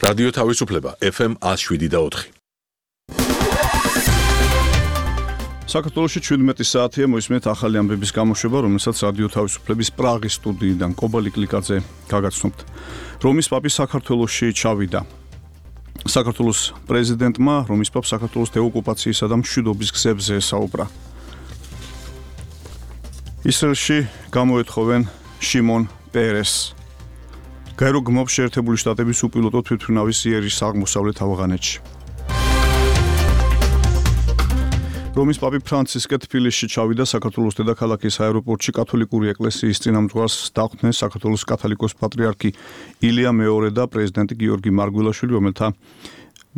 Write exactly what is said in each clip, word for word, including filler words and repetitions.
რადიო თავისუფლება ეფ ემ one oh seven და four. საქართველოში შვიდმეტი საათია მოისმენთ ახალი ამბების გამოშვება, რომელსაც რადიო თავისუფლების პრაღის სტუდიიდან კობალი კლიკაძე გაგაცნობთ. რომის პაპი საქართველოში ჩავიდა. საქართველოს პრეზიდენტმა რომის პაპს საქართველოს დეოკუპაციისა და მშვიდობის გზებზე ესაუბრა. ისრაელში გამოეთხოვენ შიმონ პერესს. გაერო გმობს შეერთებული შტატების უპილოტო თვითმფრინავის იერიშს აღმოსავლეთ ავღანეთში. რომის პაპი ფრანცისკე თბილისში ჩავიდა. საქართველოს დედაქალაქის აეროპორტში კათოლიკური ეკლესიის წინამძღვარს დახვდნენ საქართველოს კათოლიკოს პატრიარქი ილია მეორე და პრეზიდენტი გიორგი მარგველაშვილი, რომელთა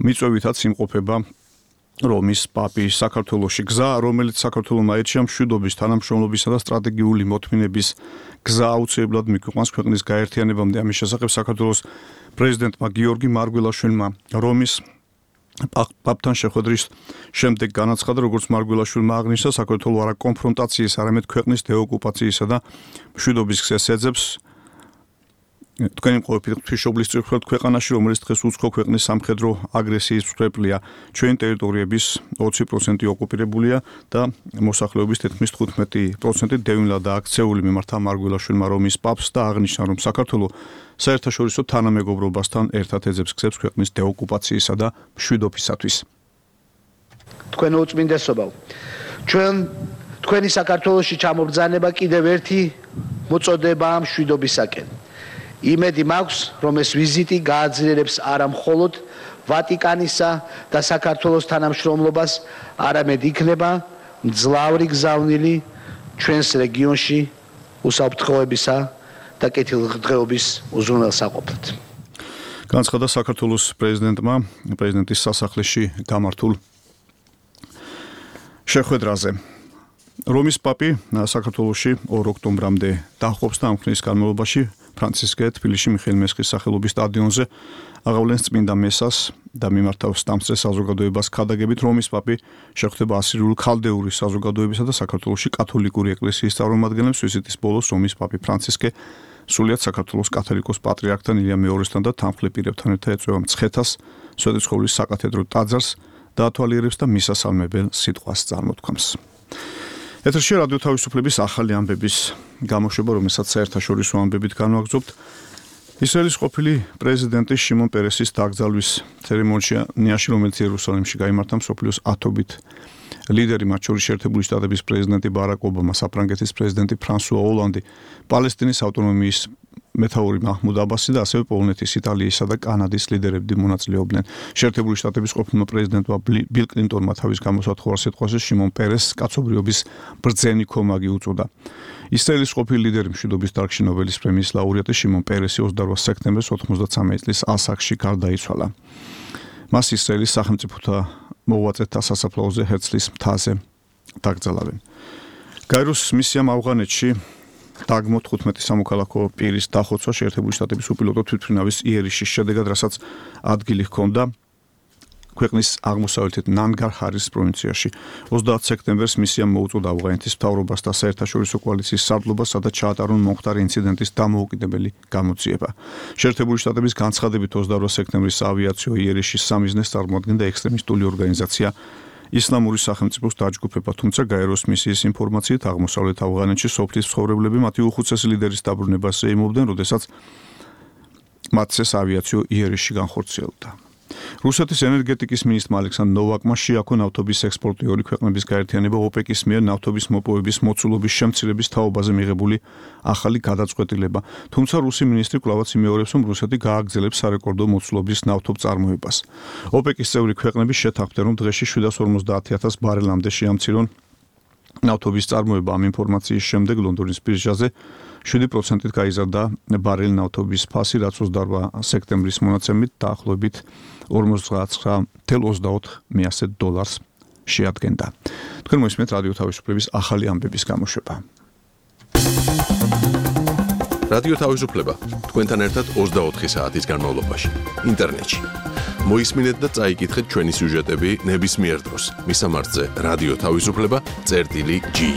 მიწვევითაც იმყოფება რომის პაპი საქართველოში. გზა, რომელიც საქართველოს აირჩია მშვიდობის, თანამშრომლობისა და სტრატეგიული მოთმინების გზა აუცილებლად მიგვიყვანს ქვეყნის გაერთიანებამდე. ამის შესახებ საქართველოს პრეზიდენტმა გიორგი მარგველაშვილმა რომის პაპთან შეხვედრის შემდეგ განაცხადა, როგორც მარგველაშვილმა აღნიშნა, საქართველოს არა კონფრონტაციის, არამედ ქვეყნის დეოკუპაციისა და მშვიდობის გზას ეძებს. თქვენი მყოფი ღვთისმშობლის წირთხლად ქვეყანაში, რომელიც დღეს უცხო ქვეყნის სამხედრო აგრესიის მსხვერპლია, ჩვენი ტერიტორიების ოცი პროცენტი ოკუპირებულია და მოსახლეობის თითქმის თხუთმეტი პროცენტი დევნილადაა აქცეული. მიმართა მარგველაშვილმა რომის პაპს და აღნიშნა, რომ საქართველოს საერთაშორისო თანამეგობრობასთან ერთად ეძებს გზებს ქვეყნის დეოკუპაციისა და მშვიდობისათვის. თქვენ უწმინდესობავ, ჩვენ თქვენი საქართველოში ჩამობრძანება კიდევ ერთი მოწოდებაა მშვიდობისაკენ. იმედი მაქვს, რომ ეს ვიზიტი გააძლიერებს არა მხოლოდ ვატიკანისა და საქართველოს თანამშრომლობას, არამედ იქნება მძლავრი გზავნილი ჩვენს რეგიონში უსაფრთხოებისა და კეთილდღეობის უზრუნველსაყოფად. განაცხადა საქართველოს პრეზიდენტმა პრეზიდენტის სასახლეში გამართულ შეხვედრაზე. რომის პაპი საქართველოში ორ ოქტომბრამდე დაჰყოფს და ამ ხნის განმავლობაში ფრანცისკე თბილისში მიხეილ მესხის სახელობის სტადიონზე აღავლენს წმინდა მესას და მიმართავს სტამსწრე საზოგადოებას ქადაგებით. რომის პაპი შეხვდება ასირიულ ქალდეური საზოგადოებისა და საქართველოში კათოლიკური ეკლესიის წარმომადგენლებს. ვიზიტის ბოლოს რომის პაპი ფრანცისკე სრულიად საქართველოს კათოლიკოს პატრიარქთან ილია მეორესთან და თანმხლებ პირებთან ერთად ეწვევა მცხეთას, სვეტიცხოვლის საკათედრო ტაძარს და ათვალიერებს და მისასალმებელ სიტყვას წარმოთქვამს. ეთერში რადიო თავისუფლების ახალი ამბების გამოშვება, რომელსაც საერთაშორისო ამბებით განვაგრძობთ. ისრაელის ყოფილი პრეზიდენტი შიმონ პერესის დაკრძალვის ცერემონიაში, რომელიც იერუსალიმში გაიმართა, მსოფლიოს ათობით ლიდერი, მათ შორის შეერთებული შტატების პრეზიდენტი ბარაკ ობამა, საფრანგეთის პრეზიდენტი ფრანსუა ოლანდი, პალესტინის ავტონომიის მეთაური მაჰმუდ აბასი და ასევე პოლონეთის, იტალიისა და კანადის ლიდერები მონაწილეობდნენ. შეერთებული შტატების ყოფილმა პრეზიდენტმა ბილ კლინტონმა თავის გამოსათხოვარ სიტყვაზე შიმონ პერესს კაცობრიობის ბრძენი ქომაგი უწოდა. ისრაელის ყოფილი ლიდერი, მშვიდობის დარგში ნობელის პრემიის ლაურეატი შიმონ პერესი ოცდაოთხ სექტემბერს ოთხმოცდაცამეტ წლის ასაკში გარდაიცვალა. მას ისრაელის სახელმწიფოთა მოღვაწეთა სასაფლაოზე ჰერცლის მთაზე დაკრძალავენ. გაეროს მისიამ ავღანეთში დაგმო თხუთმეტი სამოქალაქო პირის დახოცვა შეერთებული შტატების უპილოტო თვითმფრინავის იერიშის შედეგად, რასაც ადგილი ჰქონდა ქვეყნის აღმოსავლეთით ნანგარ ჰარის პროვინციაში. ოცდაათ სექტემბერს მისიამ მოუწოდა ავღანეთის მთავრობას და საერთაშორისო კოალიციის სარდლობას, სადაც ჩაატარონ მომხდარი ინციდენტის დამოუკიდებელი გამოძიება. შეერთებული შტატების განცხადებით ოცდაოთხ სექტემბრის ავიაციო იერიშის სამიზნეს წარმოადგენდა ექსტრემისტული ორგანიზაცია ისლამური სახელმწიფოს დაჯგუფება, თუმცა გაეროს მისიის ინფორმაციით აღმოსავლეთ ავღანეთში სოფლის მცხოვრებლები მათი უხუცესი ლიდერის დაბრუნებას ეიმობდნენ, როდესაც მათ ეს ავიაციო იერიშში განხორციელდა. რუსეთის ენერგეტიკის მინისტრმა ალექსანდრ ნოვაკმა შეაქო ნავთობის ექსპორტიორი ქვეყნების გაერთიანება ოპეკის მიერ ნავთობის მოპოვების მოცულობის შემცირების თაობაზე მიღებული ახალი გადაწყვეტილება. თუმცა რუსი მინისტრი კვლავაც იმეორებს, რომ რუსეთი გააგრძელებს სარეკორდო მოცულობის ნავთობ წარმოებას. ოპეკის წევრი ქვეყნები შეთანხმდნენ, რომ დღეში შვიდას ორმოცდაათი ათას ბარელამდე შეამცირონ ნავთობის წარმოება. ამ ინფორმაციის შემდეგ ლონდონის ბირჟაზე შვიდი პროცენტით გაიზარდა ბარელი ნავთობის ფასი, რაც ოცდაორ სექტემბრის მონაცემით დაახლოებით ორმოცდაათი ოცდაოთხ დოლარს შეადგენდა. თქვენ მოისმენთ რადიო თავისუფლების ახალი ამბების გამოშვება. რადიო თავისუფლება თქვენთან ერთად ოცდაოთხი საათის განმავლობაში ინტერნეტში. მოისმინეთ და წაიკითხეთ ჩვენი სიუჟეტები ნებისმიერ დროს. მისამართზე რადიო თავისუფლება წერტილი ჯი.